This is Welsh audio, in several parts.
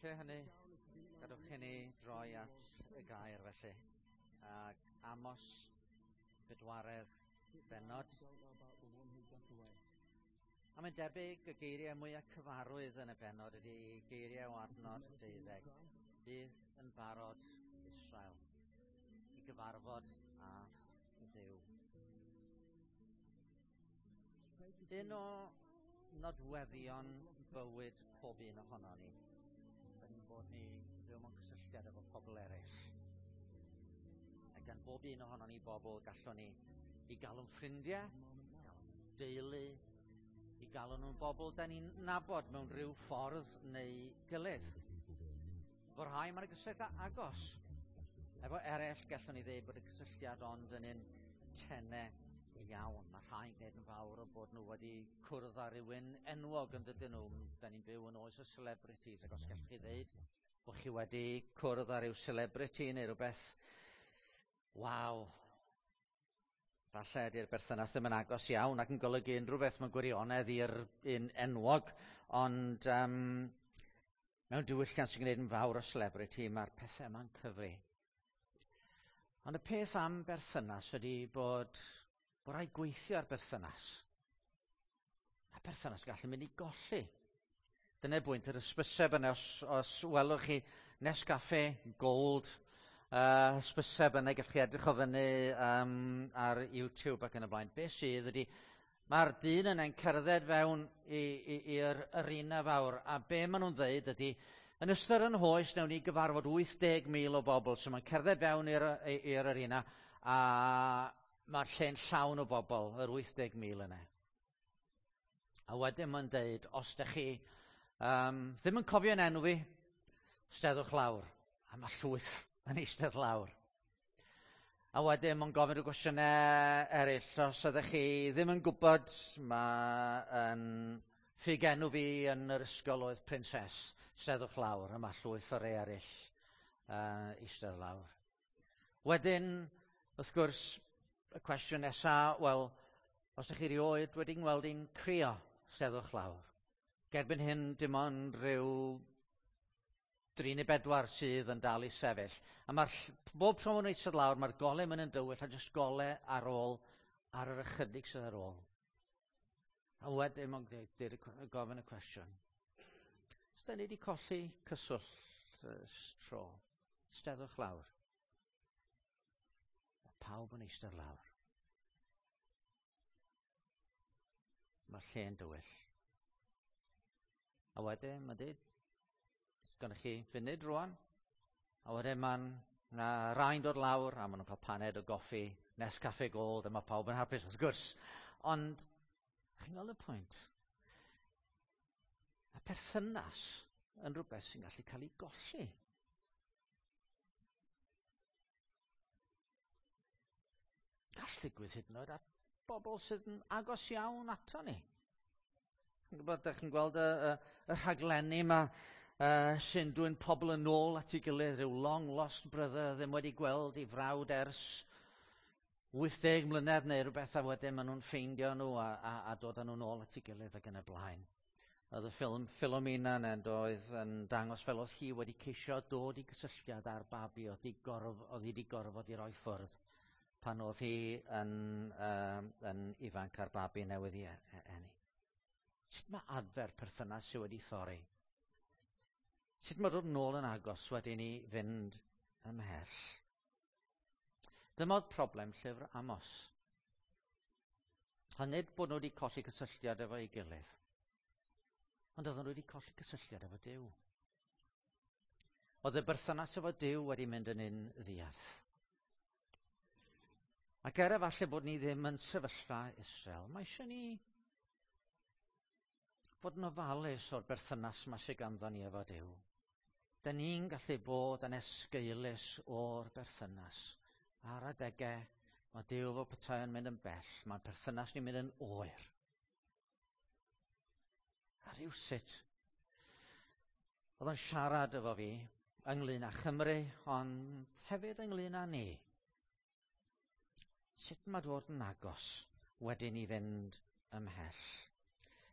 Lle hynny, gadwch i ni droi at y gair felly. Ac Amos, bedwaredd bennod. A mae'n debyg y geiriau mwyaf cyfarwydd yn y bennod ydy geiriau o adnod 12. Bydd yn barod Israel i gyfarfod â Dduw. Un o nodweddion bywyd pob un ohono ni, yn bod ni fyw mewn cysylltiad efo pobl eraill. A gan bob un ohono ni bobl gallwn ni i galw'n ffrindiau, galw'n deulu, i galw nhw'n bobl da ni'n nabod mewn rhyw ffordd neu gilydd. Fo rhai mae'n gysylltiad agos. Efo eraill gallwn ni ddeud bod y cysylltiad ond yn un tene iawn. Mae rhai'n gwneud yn fawr o bod nhw wedi cwrdd â rhywun enwog yn dydyn nhw. Da ni'n byw yn oes y celebrities, ac os gallwch chi ddeud bod chi wedi cwrdd â rhyw celebrity neu rhywbeth, waw, falle ydy'r berthynas ddim yn agos iawn ac yn golygu unrhyw beth mewn gwirionedd i'r un enwog, ond mewn diwylliant sy'n gwneud yn fawr o celebrity, mae'r pethau yma'n cyfri. Ond y peth am berthynas ydy bod rhaid gweithio ar berthynas. A perthynas gallu mynd i golli. Dyna bwynt yr hysbyseb yna, os welwch chi Nescafe Gold, hysbyseb yna, gallwch chi edrych o fyny ar YouTube ac yn y blaen. Be sydd ydy, mae'r dyn yna'n cerdded fewn i'r arena fawr, a be maen nhw'n dweud ydy, yn ystod yn hoes, newn ni gyfarfod 80,000 o bobl, so mae'n cerdded fewn i'r arena, a mae'r lle'n llawn o bobl, yr 80,000 yna. A wedyn mae'n deud, os ydych chi ddim yn cofio'n enw fi, steddwch lawr. A mae llwyth yn eistedd lawr. A wedyn mae'n gofyn rhyw gwestiynau eraill. Os ydych chi ddim yn gwybod, mae ffug enw fi yn yr ysgol oedd Princess. Steddwch lawr, a mae llwyth o rei eraill eistedd lawr. Wedyn, wrth gwrs, y cwestiwn nesaf, wel, os ydych chi rioed wedi ngweld i'n crio, steddwch lawr. Gerbyn hyn, dim ond rhyw 3 neu 4 sydd yn dal i sefyll. A mae'r bob tro maen nhw'n eistedd lawr, mae'r golau mynd yn dywyll a jyst golau ar ôl, ar yr ychydig sydd ar ôl. A wedyn mae'n gofyn y cwestiwn. Os da ni wedi colli cyswllt tro, steddwch lawr. Mae pawb yn eistedd lawr. Mae'r lle'n dywyll. A wedyn mae'n dweud, gynnoch chi funud rwan. A wedyn mae'n rhai'n dod lawr, a maen nhw'n cael paned o goffi, Nescafe Gold, a mae pawb yn hapus, wrth gwrs. Ond, chi'n gweld y pwynt? Mae perthynas yn rhywbeth sy'n gallu cael ei golli. Gall ddigwydd hyd yn oed at bobl sydd yn agos iawn ato ni. Chi'n gwybod, dych chi'n gweld y rhaglenni yma sy'n dwyn pobl yn ôl at ei gilydd, rhyw long lost brother ddim wedi gweld ei frawd ers 80 mlynedd neu rhywbeth, a wedyn maen nhw'n ffeindio nhw a dod â nhw'n ôl at ei gilydd ac yn y blaen. Oedd y ffilm Philomena yna doedd yn dangos fel oedd hi wedi ceisio dod i gysylltiad â'r babi oedd hi wedi gorfod i roi ffwrdd pan oedd hi yn ifanc a'r babi newydd i eni. Sut mae adfer perthynas sydd wedi thorri? Sut mae dod nôl yn agos wedyn i fynd ymhell? Dyma oedd problem llyfr Amos. A nid bod nhw wedi colli cysylltiad efo'i gilydd, ond oedden nhw wedi colli cysylltiad efo Duw. Oedd y berthynas efo Duw wedi mynd yn un ddiarth. Ac er efallai bod ni ddim yn sefyllfa Israel, mae eisiau ni fod yn ofalus o'r berthynas yma sydd ganddo ni efo Duw. Da ni'n gallu bod yn esgeulus o'r berthynas. Ar adegau, mae Duw fel petai yn mynd yn bell, mae'r perthynas ni'n mynd yn oer. A rhywsut, oedd o'n siarad efo fi ynglyn â Chymru, ond hefyd ynglyn â ni. Sut mae dod yn agos wedyn i fynd ymhell?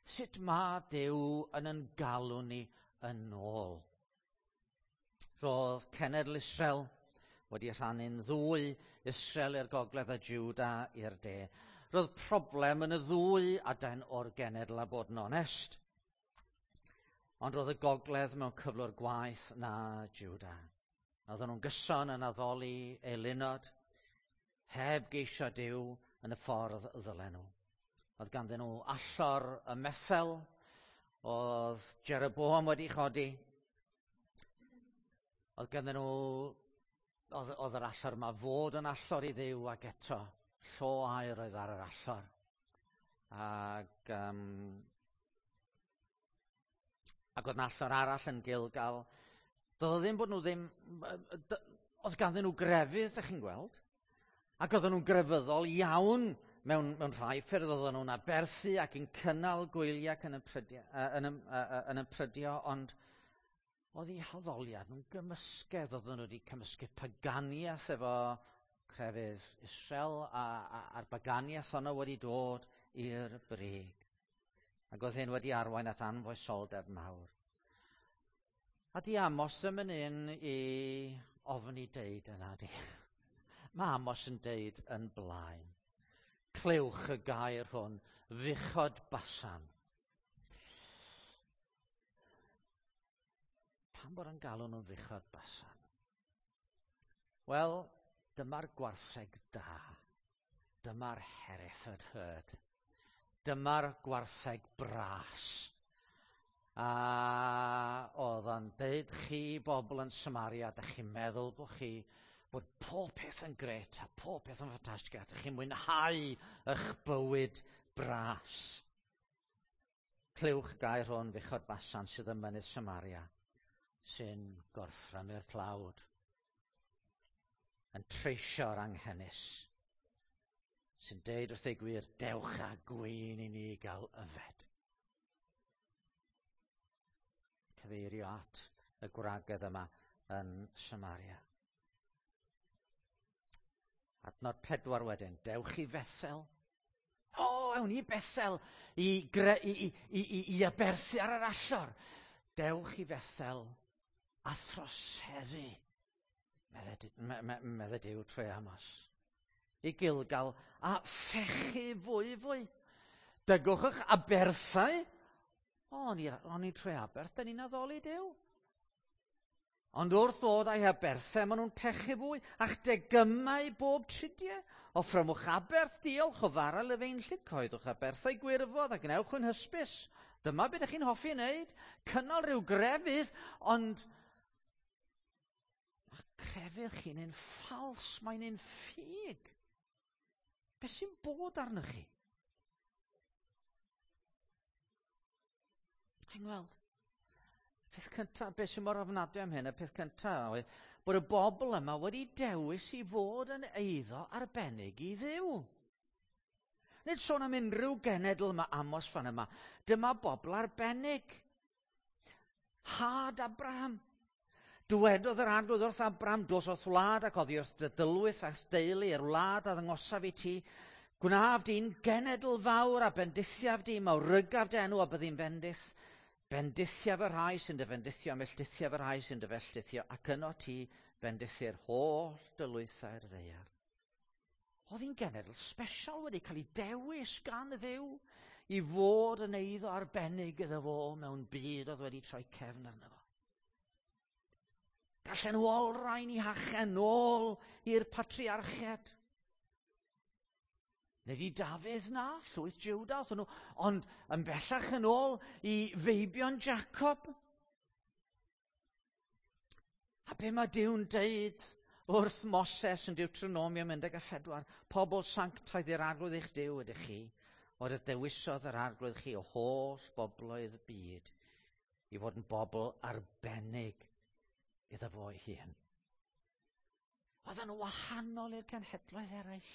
Sut mae Duw yn galw ni yn ôl? Roedd cenedl Israel wedi rhannu'n ddwy, Israel i'r gogledd a Juda i'r de. Roedd problem yn y ddwy adain o'r genedl a bod yn onest. Ond roedd y gogledd mewn cyflwr gwaeth na Juda. Oedden nhw'n gyson yn addoli eilunod, heb geisio Duw yn y ffordd ddylen nhw. Oedd ganddyn nhw allor y Methel, oedd Jeroboam wedi chodi. Oedd ganddyn nhw, oedd yr allor yma fod yn allor i Dduw ac eto, llo aur oedd ar yr allor. Ac oedd 'na allor arall yn Gilgal. Doedd o ddim bod nhw ddim... Oedd ganddyn nhw grefydd, ydych chi'n gweld. Ac oedden nhw'n grefyddol iawn mewn rhai ffyrdd. Oedden nhw'n aberthu ac yn cynnal gwyliau ac yn ymprydio, ond oedd eu haddoliad nhw'n gymysgedd. Oedden nhw wedi cymysgu paganiaeth efo crefydd Israel, a'r baganiaeth honno wedi dod i'r brig. Ac oedd hyn wedi arwain at anfoesoldeb mawr. A di Amos ddim yn un i ofni deud yna, di. Mae Amos yn deud yn blaen. Clywch y gair hwn, fuchod Basan. Pam bod yn galw nhw'n fuchod Basan? Wel, dyma'r gwartheg da. Dyma'r Hereford herd. Dyma'r gwartheg bras. A oedd o'n deud, chi bobl yn Samaria, dych chi'n meddwl bod chi bod pob peth yn gret a pob peth yn ffantastig, a dych chi'n mwynhau eich bywyd bras. Clywch gair hwn, fuchod Basan sydd ym mynydd Samaria, sy'n gorthrymu'r tlawd, yn treisio'r anghenus, sy'n deud wrth ei gwir, dewch â gwin i ni gael yfed. Cyfeirio at y gwragedd yma yn Samaria. Adnod 4 wedyn, dewch i Fethel. O, awn i Bethel i aberthu ar yr allor. Dewch i Fethel a throseddu, medde Duw trwy Amos. I Gilgal a phechu fwy fwy. Dygwch eich aberthau. O, o'n i trwy aberth, dyn ni'n addoli Duw. Ond wrth ddod â'i aberthau, maen nhw'n pechu fwy, a'ch degymau bob tridiau. Offrymwch aberth, diolch o fara lefeinllyd, coeddwch aberthau gwirfodd a gwnewch yn hysbys. Dyma beth ydych chi'n hoffi wneud, cynnal rhyw grefydd, ond mae crefydd chi'n un ffals, mae'n un ffug. Beth sy'n bod arnoch chi? Chi'n gweld? Peth cyntaf, beth sy'n mor ofnadwy am hyn, y peth cyntaf oedd bod y bobl yma wedi dewis i fod yn eiddo arbennig i Dduw. Nid sôn am unrhyw genedl yma, Amos fan yma. Dyma bobl arbennig. Had Abraham. Dywedodd yr Arglwydd wrth Abraham, dos o'th wlad ac oddi wrth dy dylwyth a'th deulu i'r wlad a ddangosaf i ti. Gwnaf di'n genedl fawr a bendithiaf di, mawrygaf dy enw a byddi'n bendith. Bendithiaf y rhai sy'n dy fendithio, melltithiaf y rhai sy'n dy felltithio, ac yno ti bendithi'r holl dylwythau'r ddaear. Oedd hi'n genedl special wedi cael ei dewis gan Dduw i fod yn eiddo arbennig iddo fo mewn byd oedd wedi troi cefn arno fo. Gallen nhw olrhain i hachen nôl i'r patriarchiad. Nid i Dafydd na, llwyth Juda, oedden nhw, ond yn bellach yn ôl i feibion Jacob. A be mae Duw'n deud wrth Moses yn Deuteronomium 14, pobl sanctaidd i'r Arglwydd eich Duw ydych chi, oedd y dewisodd yr Arglwydd chi o holl bobloedd y byd i fod yn bobl arbennig iddo fo ei hun. Oedd yn wahanol i'r cenhedloedd eraill.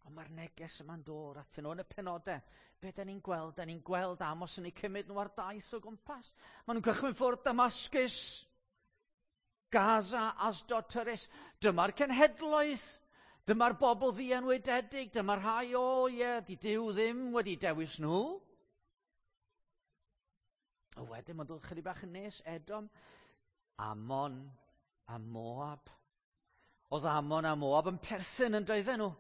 Ond mae'r neges yma'n dod atyn nhw yn y penodau. Be da ni'n gweld? Da ni'n gweld Amos yn eu cymryd nhw ar daith o gwmpas. Maen nhw'n cychwyn ffwrdd Damascus, Gaza, Asdod, Tyrus. Dyma'r cenhedloedd. Dyma'r bobl ddienwededig. Dyma'r rhai, o ie, di Duw ddim wedi dewis nhw. A wedyn mae'n dod chydig bach yn nes, Edom, Ammon a Moab. Oedd Ammon a Moab yn perthyn yn doedden nhw.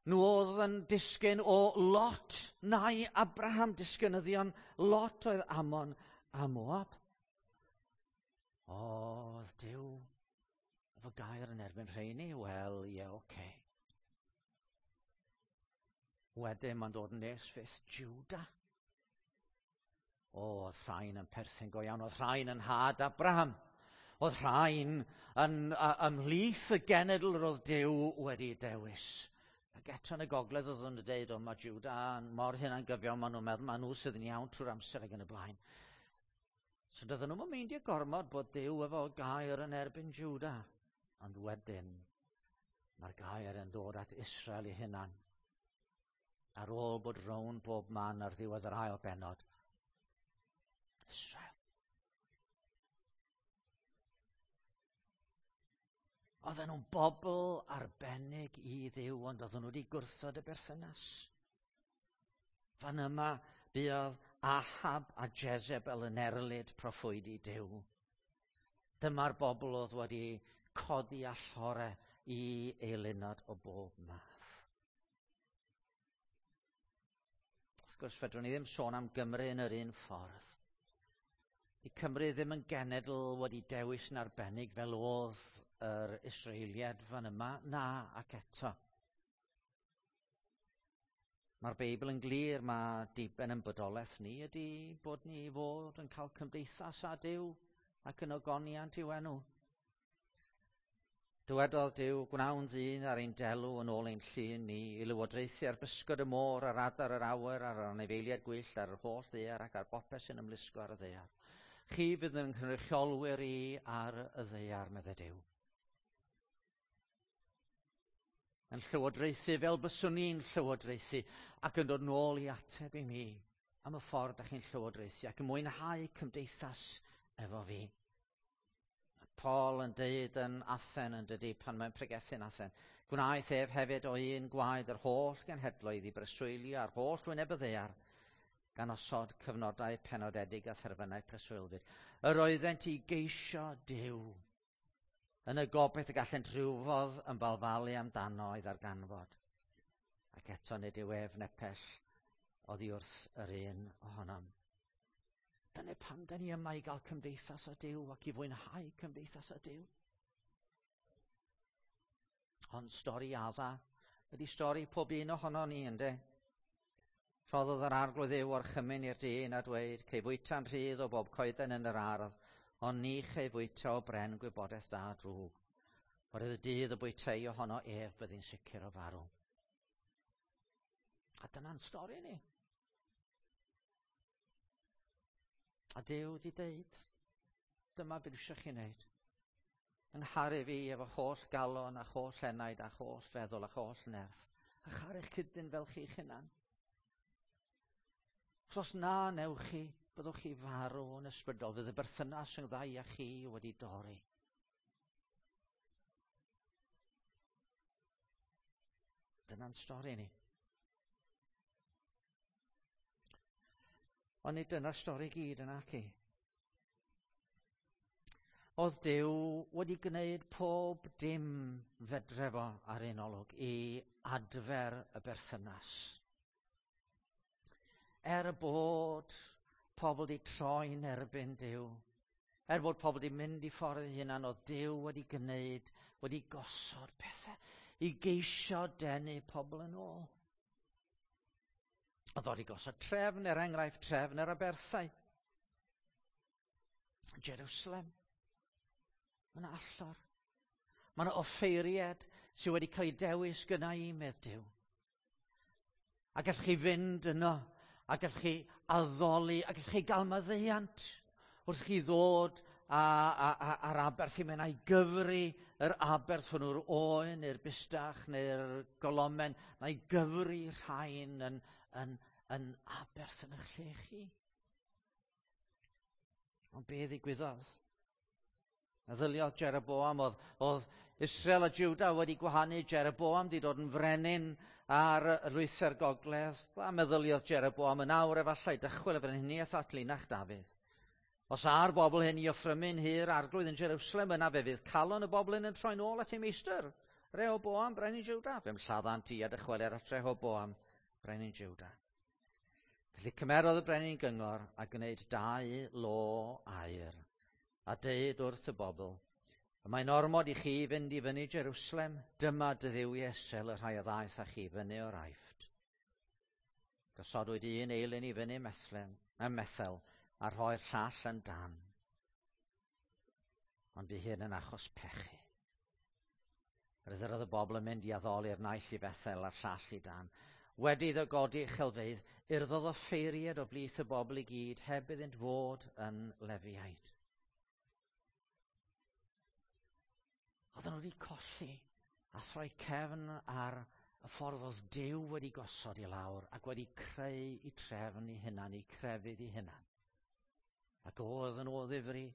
Nhw oedd yn disgyn o Lot, nai Abraham, disgynyddion Lot oedd Ammon a Moab. Oedd Duw efo gair yn erbyn rheini? Wel, ie, yeah, oce. Okay. Wedyn mae'n dod yn nes fyth Judah. O, oedd rhain yn perthyn go iawn, oedd rhain yn had Abraham. Oedd rhain yn ymhlith y genedl yr oedd Duw wedi dewis. Ac eto yn y gogledd oedd yn dweud, o, mae Judah yn mor hunangyfiawn, maen nhw'n meddwl, maen nhw sydd yn iawn trwy'r amser ac yn y blaen. So doedden nhw'n meindio gormod bod Duw efo gair yn erbyn Judah. Ond wedyn, mae'r gair yn dod at Israel ei hunan. Ar ôl bod rown bob man ar ddiwedd yr ail bennod. Israel. Oedden nhw'n bobl arbennig i Dduw, ond oedden nhw wedi gwrthod y berthynas. Fan yma, buodd Ahab a Jezebel yn erlid proffwydi Duw. Dyma'r bobl oedd wedi codi allore i eilunod o bob math. Wrth gwrs, fedrwn ni ddim sôn am Gymru yn yr un ffordd. Di Cymru ddim yn genedl wedi dewis yn arbennig fel oedd yr Israeliad fan yma, na ac eto. Mae'r Beibl yn glir, mae diben yn bodolaeth ni ydy bod ni i fod yn cael cymdeithas â Duw ac yn ogoniant i'w enw. Dywedodd Duw, gwnawn ddyn ar ein delw yn ôl ein llun ni, i lywodraethu ar bysgod y môr, ar adar yr awyr, ar anifeiliaid gwyllt, ar yr holl ddaear ac ar bopeth sy'n ymlusgo ar y ddaear. Chi fydd yn cynrychiolwyr i ar y ddaear, meddai Duw. Yn llywodraethu fel byswn ni'n llywodraethu ac yn dod nôl i ateb i mi am y ffordd da chi'n llywodraethu ac yn mwynhau cymdeithas efo fi. Paul yn deud yn Athen yn dydy pan mae'n pregethu'n Athen. Gwnaeth ef hefyd o un gwaed yr holl genhedloedd i breswylio ar holl wyneb y ddaear, gan osod cyfnodau penodedig a therfynau preswylfyd. Yr oeddent i geisio Duw yn y gobaith y gallent rhywfodd yn balfalu amdano i ddarganfod. Ac eto nid yw ef nepell oddi wrth yr un ohonom. Dyna pam da ni yma i gael cymdeithas â Duw ac i fwynhau cymdeithas â Duw. Ond stori Adda ydy stori pob un ohono ni, ynddo? Rhoddodd yr arglwydd Dduw orchymyn i'r dyn a dweud, cei fwyta'n rhydd o bob coeden yn yr ardd, ond ni chei fwyta o bren gwybodaeth da drwg. Oherwydd y dydd y bwytei ohono ef byddi'n sicr o farw. A dyna'n stori ni. A Duw di deud, dyma beth eisiau chi wneud. Yng ngharu fi efo holl galon a holl enaid a holl feddwl a holl nerth. A charu'ch cydyn fel chi'ch hunan. Os os na newch chi, byddwch chi farw yn ysbrydol. Fydd y berthynas yn ddau â chi wedi dorri. Dyna'n stori ni. Ond nid dyna'r stori gyd yna ci. Oedd Duw wedi gwneud pob dim fedre fo ar un olwg i adfer y berthynas. Er bod pobl wedi troi'n erbyn Duw, er bod pobl wedi mynd i ffordd eu hunan, oedd Duw wedi gwneud, wedi gosod pethau i geisio denu pobl yn ôl. Oedd wedi gosod trefn, er enghraifft trefn yr aberthau. Jerusalem. Mae yna allor. Mae yna offeiriad sydd wedi cael ei dewis gyda i, medd Duw. A gallwch chi fynd yno, a gallwch chi addoli, a gallwch chi gael maddeuant wrth chi ddod a'r aberth i mewn a'i gyfri yr aberth hwnnw'r oen neu'r bustach neu'r golomen, na'i gyfri rhain yn, yn, yn aberth yn eich lle chi. Ond be ddigwyddodd? Meddyliodd Jeroboam, oedd, oedd Israel a Judah wedi gwahanu, Jeroboam wedi dod yn frenin ar y lwythau'r gogledd, a meddyliodd Jeroboam yn awr efallai dychwel y frenhiniaeth at linach Dafydd. Os a'r bobl hyn i offrymu'n hir arglwydd yn Jerusalem, yna fe fydd calon y bobl hyn yn troi'n ôl at ei meistr, Rehoboam, brenin Jwda. Fe'm lladdant i a dychwelir at Rehoboam, brenin Jwda. Felly cymerodd y brenin gyngor a gwneud 2 lo aur, a deud wrth y bobl, y mae'n ormod i chi fynd i fyny Jerusalem, dyma dy dduwiau Israel y rhai a ddaeth â chi fyny o'r Aifft. Gosodwyd un eilun i fyny ym Methel, a rhoi'r llall yn Dan. Ond bu hyn yn achos pechu. Yr oedd y bobl yn mynd i addoli'r naill i Bethel a'r llall i Dan. Wedi iddo godi uchelfeydd, urddodd offeiriad o blith y bobl i gyd heb iddynt fod yn Lefiaid. Oedden nhw wedi colli a throi cefn ar y ffordd oedd Duw wedi gosod i lawr ac wedi creu i trefn i hunan, i crefydd i hunan. Ac oedden nhw o ddifri,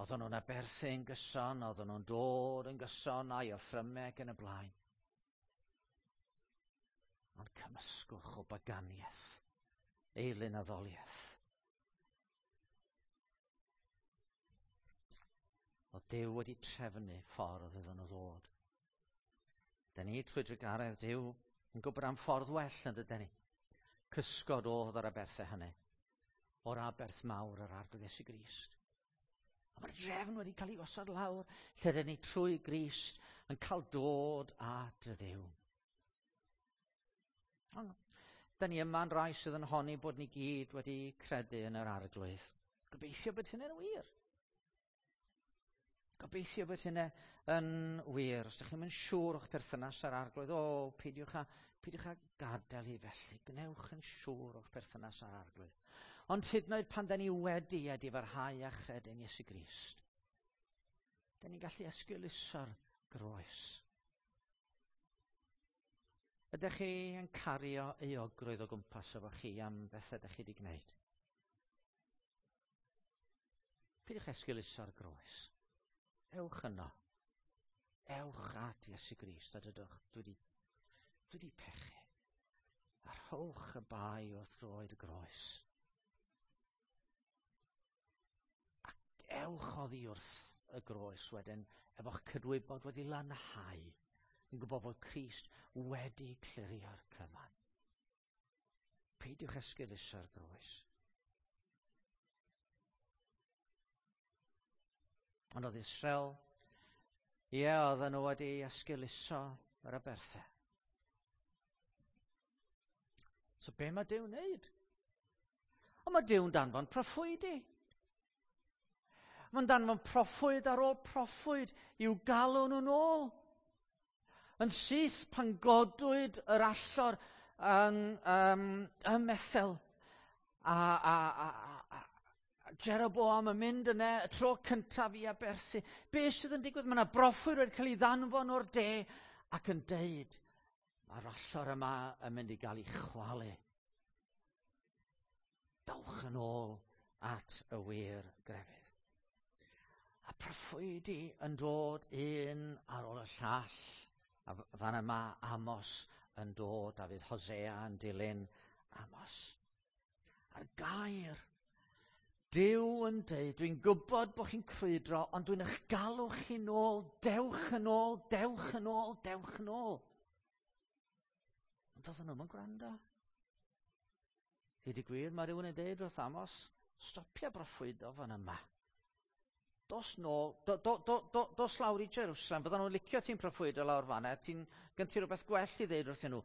oedden nhw'n aberthu yn gyson, oedden nhw'n dod yn gyson a'i offrymau ac yn y blaen. Ond cymysgwch o baganiaeth, eilun addoliaeth. Oedd Duw wedi trefnu ffordd iddyn nhw ddod. Da ni trwy drugaredd Duw yn gwybod am ffordd well yn dydyn ni. Cysgod oedd yr aberthau hynny, o'r aberth mawr yr Arglwydd Iesu Grist. A mae'r drefn wedi cael ei gosod lawr, lle dyn ni trwy Grist yn cael dod at y Dduw. Ond, da ni yma'n rai sydd yn honni bod ni gyd wedi credu yn yr Arglwydd. Gobeithio bod hynny'n wir. Gobeithio bod hynny yn wir. Os ydych chi'n mynd siŵr o'ch perthynas â'r Arglwydd, o, peidiwch a gadael i felly. Gwnewch yn siŵr o'ch perthynas â'r Arglwydd. Ond hyd yn oed pan da ni wedi edifarhau a chredu'n Iesu Grist, da ni'n gallu esgeuluso'r groes. Ydych chi yn cario euogrwydd o gwmpas efo chi am bethau ydych chi wedi gwneud? Peidiwch esgeuluso'r groes. Ewch yno. Ewch at Iesu Grist a dydwch, dwi wedi pechu. A rhowch y bai wrth droed y groes. Ac ewch oddi wrth y groes wedyn, efo'ch cydwybod wedi lanhau, yn gwybod bod Crist wedi clirio'r cyfan. Peidiwch esgeuluso'r groes. Ond oedd Israel, ie, oedden nhw wedi esgeuluso yr aberthau. So be mae Duw'n wneud? Ond mae Duw'n danfon proffwydi. Mae'n danfon proffwyd ar ôl proffwyd i'w galw nhw'n ôl. Yn syth pan godwyd yr allor yn ym Methel a Jeroboam yn mynd yna y tro cyntaf i aberthu. Be sydd yn digwydd? Mae yna broffwyd wedi cael ei ddanfon o'r de ac yn deud, mae'r allor yma yn mynd i gael ei chwalu. Dowch yn ôl at y wir grefydd. A proffwydi yn dod un ar ôl y llall. A fan yma Amos yn dod, a fydd Hosea yn dilyn Amos. A'r gair, Duw yn deud, dwi'n gwybod bod chi'n crwydro, ond dwi'n eich galw chi nôl, dewch yn ôl, dewch yn ôl, dewch yn ôl. Ond doedden nhw'm yn gwrando. Dweud y gwir, mae rhywun yn deud wrth Amos, stopia broffwydo fan yma. Dos nôl, dos lawr i Jerusalem, byddan nhw'n licio ti'n proffwydo lawr fan'na, ti'n gen ti rhywbeth gwell i ddeud wrthyn nhw.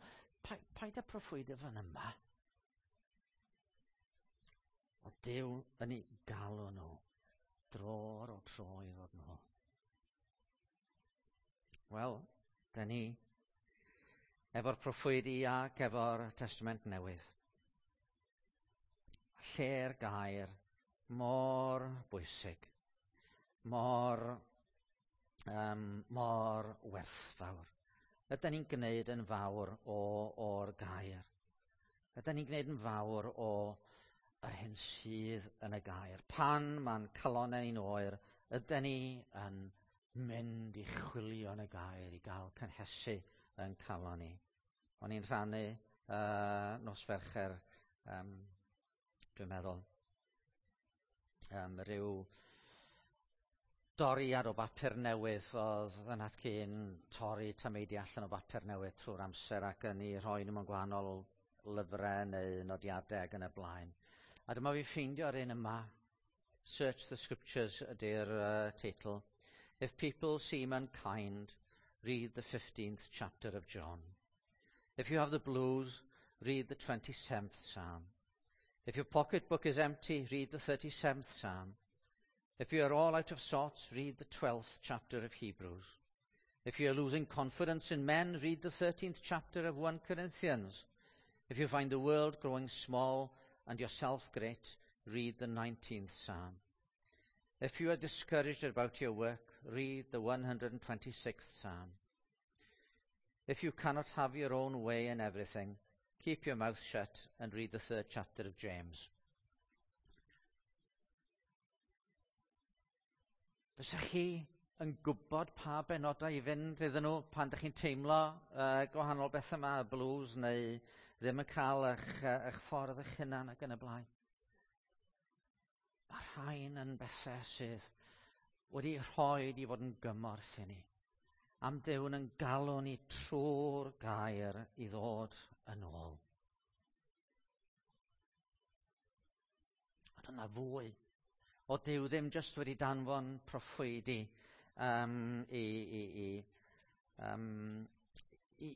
Paid â proffwydo fan yma. O Duw yn ei galw nhw, dro ar ôl tro i ddod nôl. Wel, da ni efo'r proffwydi ac efo'r Testament Newydd. Lle'r gair mor bwysig, mor werthfawr. Ydy ni'n gwneud yn fawr o'r gair? Ydy ni'n gwneud yn fawr o yr hyn sydd yn y gair? Pan mae'n calonnau ni'n oer, ydy ni yn mynd i chwilio yn y gair i gael cynhesu yn calon ni? O'n i'n rhannu nos Fercher, dwi'n meddwl. Rhyw doriad o bapur newydd oedd yn atgyn torri tameidiau allan o bapur newydd trwy'r amser ac yn ei rhoi nhw mewn gwahanol lyfrau neu nodiadau ac yn y blaen. A dyma fi ffeindio'r un yma. Search the Scriptures ydy'r teitl. If people seem unkind, read the 15th chapter of John. If you have the blues, read the 27th Psalm. If your pocketbook is empty, read the 37th Psalm. If you are all out of sorts, read the 12th chapter of Hebrews. If you are losing confidence in men, read the 13th chapter of 1 Corinthians. If you find the world growing small and yourself great, read the 19th Psalm. If you are discouraged about your work, read the 126th Psalm. If you cannot have your own way in everything, keep your mouth shut and read the 3rd chapter of James. Fysa chi yn gwybod pa benodau i fynd iddyn nhw pan ydych chi'n teimlo gwahanol bethau yma, y blues, neu ddim yn cael eich ffordd eich hunan ac yn y blaen? Mae rhain yn bethau sydd wedi rhoi i fod yn gymorth i ni. Am Duw'n yn galw ni trwy'r gair i ddod yn ôl. Ond yna fwy. O Duw ddim jyst wedi danfon proffwydi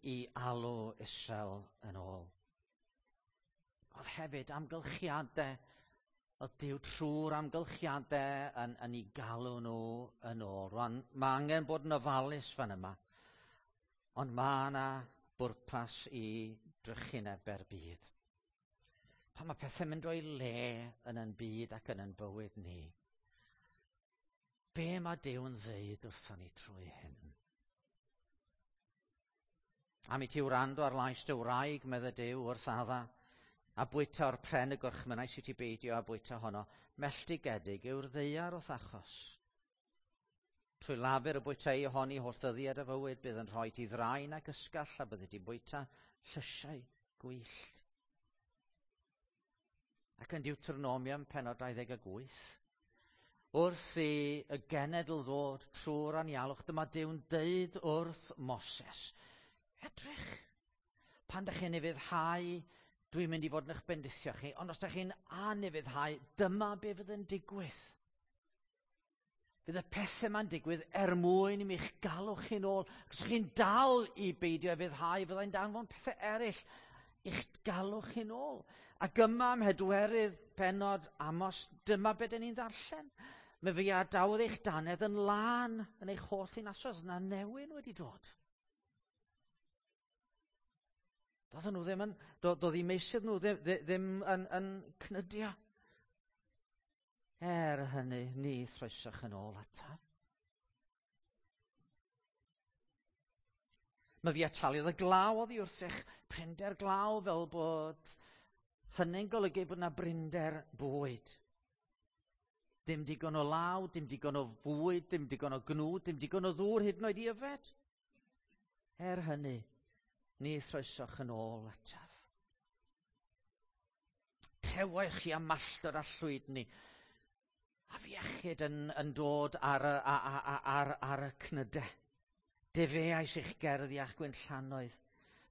i alw Israel yn ôl. Oedd hefyd amgylchiadau, oedd Duw trwy'r amgylchiadau yn ei galw nhw yn ôl. Rwan, mae angen bod yn ofalus fan yma, ond mae yna bwrpas i drychineb byd. Pan mae pethau'n mynd o'i le yn ein byd ac yn ein bywyd ni, be mae Duw'n ddeud wrthon ni trwy hyn? Am i ti wrando ar lais dy wraig, medde Duw wrth Adda, a bwyta o'r pren y gorchmynnais i ti beidio a bwyta honno, melltigedig yw'r ddaear wrth achos. Trwy lafur y bwyta i ohoni holl ddyddiad y fywyd, bydd yn rhoi ti ddraen ac ysgall a byddi ti'n bwyta llysiau gwyllt. Ac yn Deuteronomium pennod 28, wrth i y genedl ddod trwy'r anialwch, dyma Duw'n deud wrth Moses, edrych, pan dych chi'n ufuddhau, dwi'n mynd i fod yn eich bendithio chi, ond os dych chi'n anufuddhau, dyma be fydd yn digwydd. Fydd y pethau yma'n digwydd er mwyn i mi'ch galw chi'n ôl. Os chi'n dal i beidio ufuddhau, fyddai'n danfon pethau eraill i'ch galw chi'n ôl. Ac yma ym mhedwerydd pennod Amos, dyma be dyn ni'n ddarllen. Mae fi adawodd eich dannedd yn lân yn eich holl ddinasoedd, na newyn wedi dod. Doedden nhw ddim yn, doedd eu meysydd nhw ddim yn cnydio. Er hynny, ni throesoch yn ôl ataf. Mae fi ataliodd y glaw oddi wrthych, prinder glaw fel bod hynny'n golygu bod yna brinder bwyd. Dim digon o law, dim digon o fwyd, dim digon o gnwd, dim digon o ddŵr hyd yn oed i yfed. Er hynny, ni throesoch yn ôl ataf. Tewech chi am malltod a llwydni, a fiechyd yn dod ar y cnydau. Defeais eich gerddi a'ch gwynllanoedd.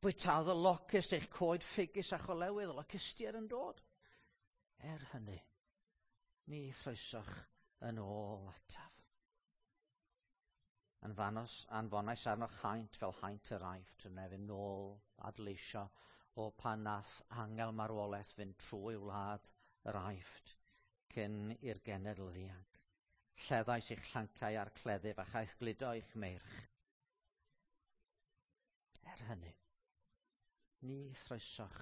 Bwytaodd y locust eich coed ffigys a cholewydd, y locustiaid yn dod. Er hynny, ni throesoch yn ôl ataf. Anfonais arnoch haint fel haint yr Aifft, yn efo nôl adleisio o pan nath angel marwolaeth fynd trwy wlad yr Aifft cyn i'r genedl ddianc. Lleddais eich llancau a'r cleddyf a chaeth gludo eich meirch. Er hynny, ni throesoch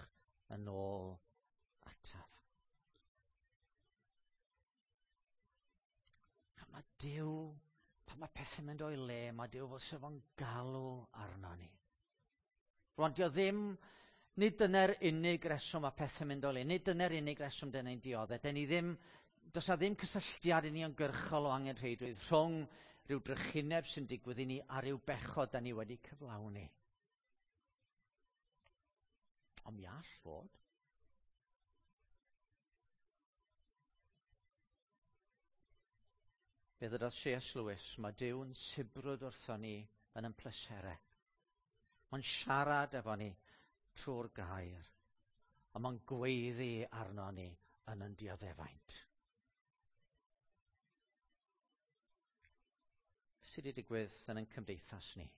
yn ôl ataf. A mae Duw, pan mae pethau'n mynd o'i le, mae Duw fel sef o'n galw arno ni. Rwan, dio ddim, nid dyna'r unig reswm mae pethau'n mynd o'i le, nid dyna'r unig reswm dyna ni'n dioddef. Dyn ni ddim, does na ddim cysylltiad i ni ymgyrchol o angenrheidrwydd rhwng rhyw drychineb sy'n digwydd i ni a rhyw bechod da ni wedi cyflawni. Ond mi all fod. Fe ddydodd C.S. Lewis, mae Duw'n sibrwd wrthon ni yn ein pleserau. Mae'n siarad efo ni trwy'r gair, a mae'n gweiddi arno ni yn ein dioddefaint. Sydd wedi digwydd yn ein cymdeithas ni?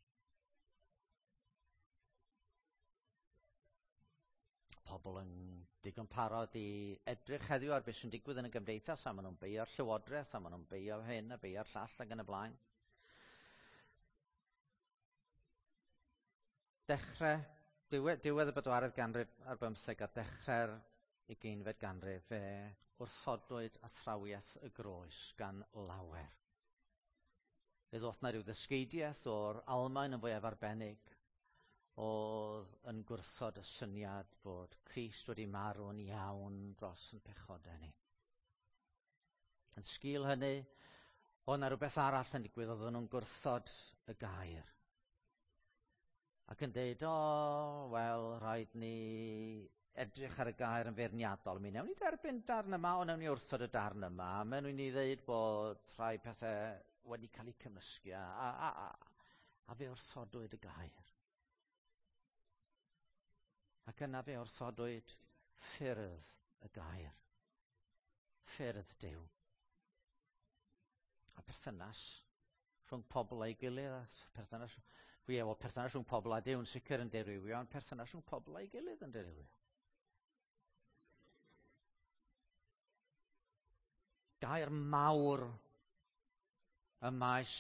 Pobl yn digon parod i edrych heddiw ar beth sy'n digwydd yn y gymdeithas, a maen nhw'n beio'r llywodraeth, a maen nhw'n beio hyn a beio'r llall ac yn y blaen. Dechrau, diwedd, diwedd y bedwaredd ganrif ar bymtheg a dechrau'r ugeinfed ganrif, fe wrthodwyd athrawiaeth y groes gan lawer. Fe ddoth 'na ryw ddysgeidiaeth o'r Almaen yn fwyaf arbennig, oedd yn gwrthod y syniad bod Crist wedi marw'n iawn dros yn pechodau ni. Yn sgil hynny, oedd 'na rhywbeth arall yn digwydd, oedden nhw'n gwrthod y gair. Ac yn deud, o, wel, rhaid ni edrych ar y gair yn feirniadol. Mi wnawn ni dderbyn darn yma, ond wnawn ni wrthod y darn yma. Maen nhw'n ni ddeud bod rhai pethau wedi cael eu cymysgu, a fe wrthodwyd y gair. Ac yna fe wrthodwyd ffyrdd y gair. Ffyrdd Duw. A perthynas rhwng pobl a'i gilydd, a perthynas, ie, wel, perthynas rhwng pobl a Duw yn sicr yn dirywio, ond perthynas rhwng pobl a'i gilydd yn dirywio. Gair mawr y maes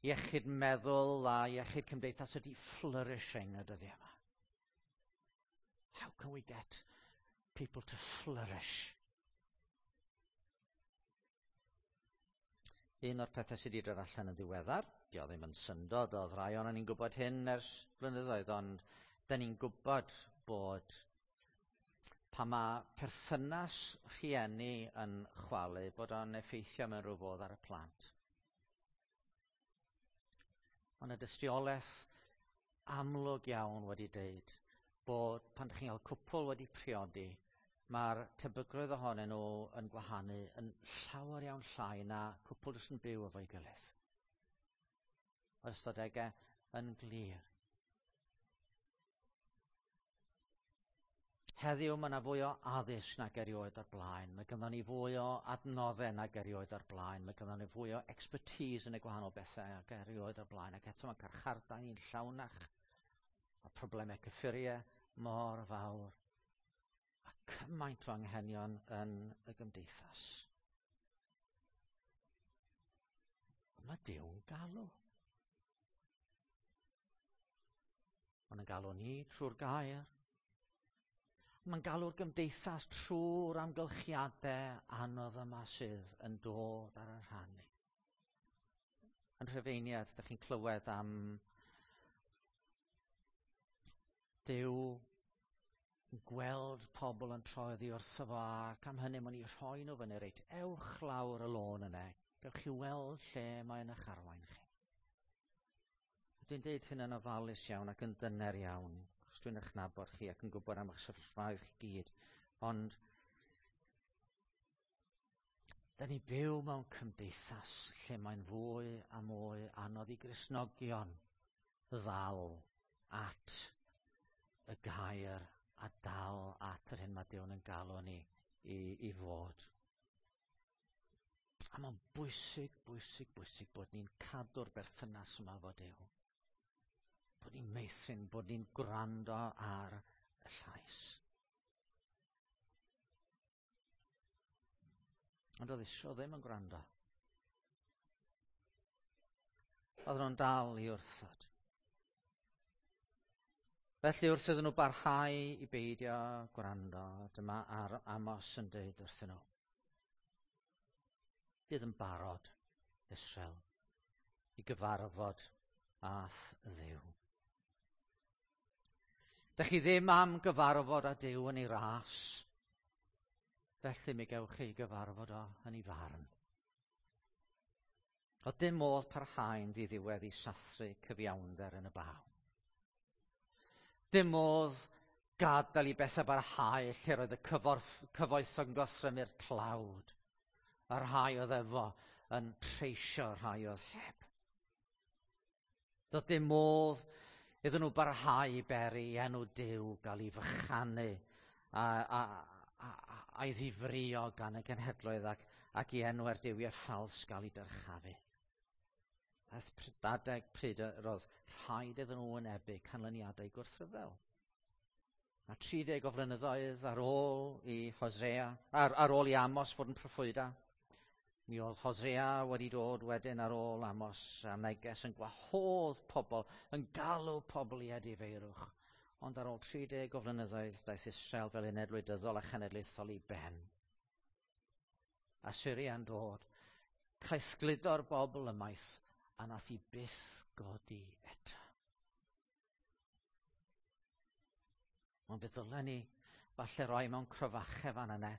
iechyd meddwl a iechyd cymdeithas ydy flourishing y dyddiau yma. How can we get people to flourish? Un o'r pethau sydd wedi dod allan yn ddiweddar, di o ddim yn syndod, oedd rai o'n ni'n gwybod hyn ers blynyddoedd, ond da ni'n gwybod bod pan mae perthynas rhieni yn chwalu, bod o'n effeithio mewn rhyw fodd ar y plant. Ond y dystiolaeth amlwg iawn wedi deud bod pan ydych chi'n cael cwpl wedi priodi, mae'r tebygrwydd ohonyn nhw yn gwahanu yn llawer iawn llai na cwpl jyst yn byw efo'i gilydd. Mae'r ystadegau yn glir. Heddiw mae yna fwy o addysg nag erioed o'r blaen. Mae gynnon ni fwy o adnoddau nag erioed o'r blaen. Mae gynnon ni fwy o expertise yn y gwahanol bethau nag erioed o'r blaen. Ac eto mae carchardau ni'n llawnach. A problemau cyffuriau mor fawr. A cymaint o anghenion yn y gymdeithas. Mae Duw'n galw. Mae'n galw ni trwy'r gair. Mae'n galw'r gymdeithas trwy'r amgylchiadau anodd yma sydd yn dod ar y rhan ni. Yn Rhufeiniad, ydych chi'n clywed am Duw yn gweld pobl yn troi oddi wrtho fo, ac am hynny mae'n eu rhoi nhw fyny, reit, ewch lawr y lôn yna, gewch chi weld lle mae'n eich arwain chi. Dwi'n deud hyn yn ofalus iawn ac yn dyner iawn, achos dwi'n eich nabod chi ac yn gwybod am eich sefyllfaoedd chi gyd, ond da ni byw mewn cymdeithas lle mae'n fwy a mwy anodd i Gristnogion ddal at y gair a dal at yr hyn mae Duw yn galw ni i fod. A mae'n bwysig, bwysig, bwysig bod ni'n cadw'r berthynas yma efo Duw. Bod ni'n meithrin, bod ni'n gwrando ar y llais. Ond oedd Israel ddim yn gwrando. Oedden nhw'n dal i wrthod. Felly wrth iddyn nhw barhau i beidio gwrando, dyma ar Amos yn dweud wrthyn nhw. Bydd yn barod, Israel, i gyfarfod â'th Dduw. Dych chi ddim am gyfarfod â Duw yn ei ras, felly mi gewch chi gyfarfod o yn ei farn. Oedd dim modd parhau'n ddiddiwedd i sathru cyfiawnder yn y baw. Dim modd gadael i bethau barhau lle roedd y cyfoethog yn gorthrymu'r tlawd, a'r rhai oedd efo yn treisio rhai oedd heb. Doedd dim modd iddyn nhw barhau i beri i enw Duw gael ei fychanu a'i ddifrio gan y genhedloedd ac i enwau'r duwiau ffals gael ei dyrchafu. Daeth adeg pryd yr oedd rhaid iddyn nhw wynebu canlyniadau gwrthryfel. A 30 o flynyddoedd ar ôl i Hosea, ar ôl i Amos fod yn proffwyda, mi oedd Hosea wedi dod wedyn ar ôl Amos a neges yn gwahodd pobl, yn galw pobl i edifeirwch. Ond ar ôl 30 o flynyddoedd, daeth Israel fel uned wleidyddol a chenedlaethol i ben. Assyria'n dod, caethgludo'r bobl ymaith, a nath i byth godi eto. Ond fe ddylen ni falle roi mewn cryfachau fan yna.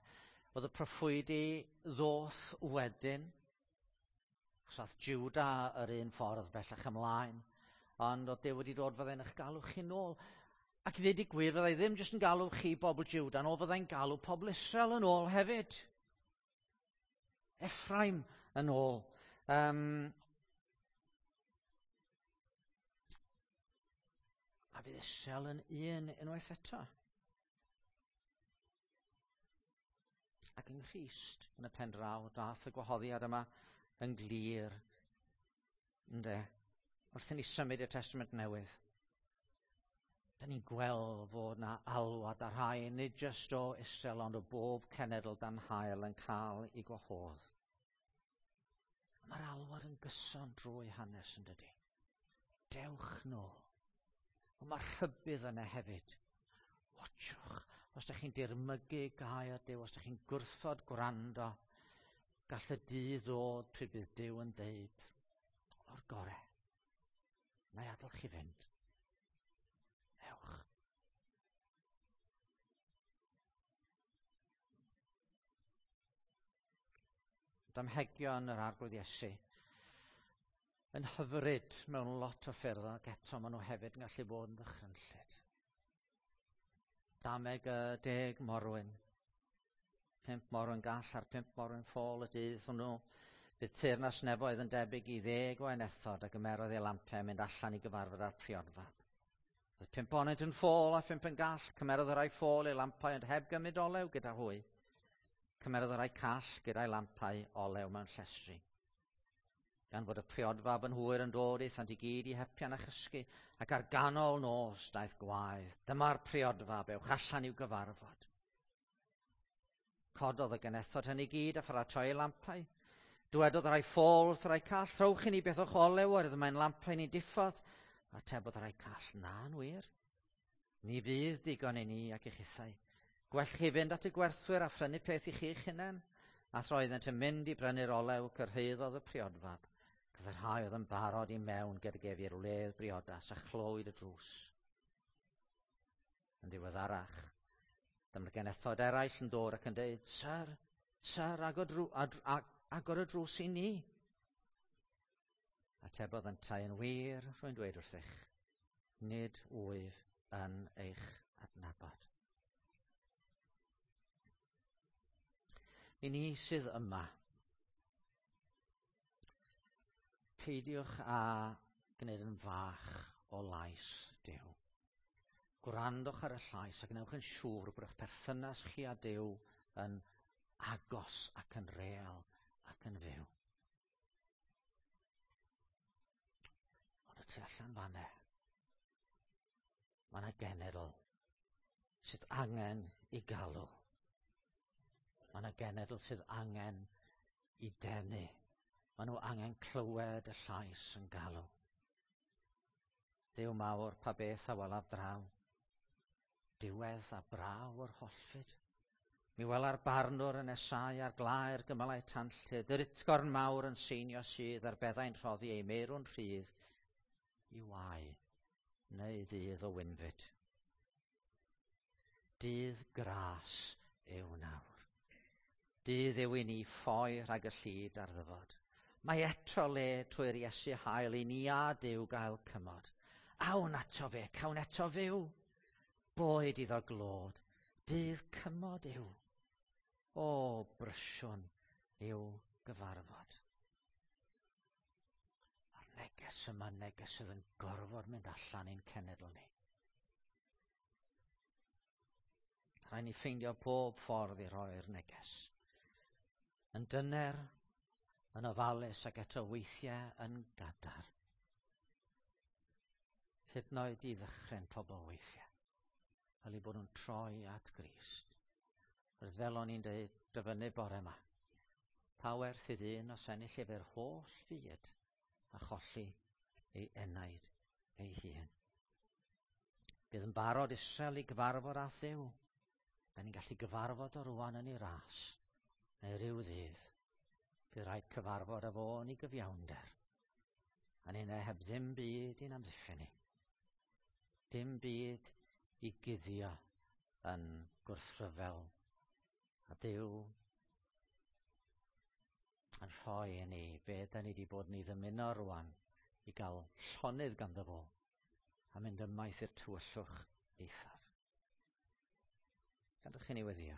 Oedd y proffwydi ddoth wedyn, achos ath Juda yr un ffordd bellach ymlaen, ond oedd Duw wedi dod fyddai'n eich galw chi nôl. Ac i ddweud y gwir, fyddai ddim jyst yn galw chi bobl Juda yn ôl, fyddai'n galw pobl Israel yn ôl hefyd. Ephraim yn ôl. A fydd Israel yn un unwaith eto. Ac yng Nghrist, yn y pen draw, dath y gwahoddiad yma yn glir. Ynde? Wrth i ni symud i'r Testament Newydd, da ni'n gweld fod na alwad ar rhai, nid jyst o Israel, ond o bob cenedl dan haul yn cael ei gwahodd. Mae'r alwad yn gyson drwy hanes yn dydy. Dewch nôl. Ond mae rhybudd yna hefyd. Watchwch, os ydych chi'n dirmygu gair Duw, os ydych chi'n gwrthod gwrando, gall y dydd ddod pryd bydd Duw yn deud, o'r gore, na i adael chi fynd. Ewch. Damhegion yr Arglwydd Iesu yn hyfryd mewn lot o ffyrdd, ac eto maen nhw hefyd yn gallu bod yn ddychrynllyd. Dameg y 10 morwyn. 5 morwyn gall a'r 5 morwyn ffôl y dydd hwnnw. Bydd teyrnas nefoedd yn debyg i 10 o enethod a gymerodd ei lampau mynd allan i gyfarfod â'r priodfab. Oedd 5 ohonynt yn ffôl a 5 yn gall. Cymerodd y rhai ffôl ei lampau ond heb gymryd olew gyda hwy. Cymerodd y rhai call gyda'i lampau olew mewn llestri. Gan fod y priodfab yn hwyr yn dod, aethant i gyd i hepian a chysgu, ac ar ganol nos daeth gwaedd. Dyma'r priodfab, ewch allan i'w gyfarfod. Cododd y genethod hynny gyd a pharatoi ei lampau. Dywedodd rhai ffôl wrth rai call, rhowch i ni beth o'ch olew, oherwydd mae'n lampau ni'n diffodd. Atebodd rhai call, na, yn wir. Ni fydd digon i ni ac i chithau. Gwell chi fynd at y gwerthwyr a phrynu peth i chi'ch hunain. A throeddent yn mynd i brynu'r olew, cyrhaeddodd y priodfab. Bydd y rhai oedd yn barod i mewn gydag ef i'r wledd briodas a chlywyd y drws. Yn ddiweddarach, dyma'r genethod eraill yn dod ac yn dweud, Syr, syr, agor y drws i ni. Atebodd yntau yn wir, rwy'n dweud wrthych, nid wyf yn eich adnabod. I ni sydd yma, peidiwch â gwneud yn fach o lais Duw. Gwrandwch ar y llais a gwnewch yn siŵr bod eich perthynas chi â Duw yn agos ac yn real ac yn fyw. Ond y tu allan fanne, mae yna genedl sydd angen i galw. Mae yna genedl sydd angen i denu. Maen nhw angen clywed y llais yn galw. Duw mawr, pa beth a welaf draw? Diwedd a braw yr hollfyd. Mi wela'r barnwr yn nesau ar glaer gymylau tanllyd, yr utgorn mawr yn seinio sydd a'r beddau'n rhoddi ei meirw'n rhydd i wae neu ddydd o wynfyd. Dydd gras yw nawr. Dydd yw i ni ffoi rhag y llid ar ddyfod. Mae eto le trwy'r Iesu hael i ni a Duw gael cymod. Awn ato fe, cawn eto fyw. Boed iddo glod, dydd cymod yw. O, brysiwn i'w gyfarfod. Neges yma, neges sydd yn gorfod mynd allan i'n cenedl ni. Rhaid ni ffeindio pob ffordd i roi'r neges. Yn dyner, yn ofalus ac eto weithiau yn gadar. Hyd yn oed i ddychryn pobl weithiau. Fel eu bod nhw'n troi at Grist. Fel o'n i'n dweud dyfynnu bore yma. Pa werth i ddyn os ennill ef yr holl fyd a cholli ei enaid ei hun? Bydd yn barod Israel i gyfarfod â Dduw. Da ni'n gallu gyfarfod o rwan yn ei ras, neu rhyw ddydd. Bydd rhaid cyfarfod â fo yn ei gyfiawnder. A ni'n heb ddim byd i'n amddiffyn ni. Dim byd i guddio yn gwrthryfel. A Duw yn rhoi i ni be da ni wedi bod yn ei ddymuno rwan i gael llonydd ganddo fo a mynd ymaith i'r tywyllwch eithaf. Gadwch i ni weddïo.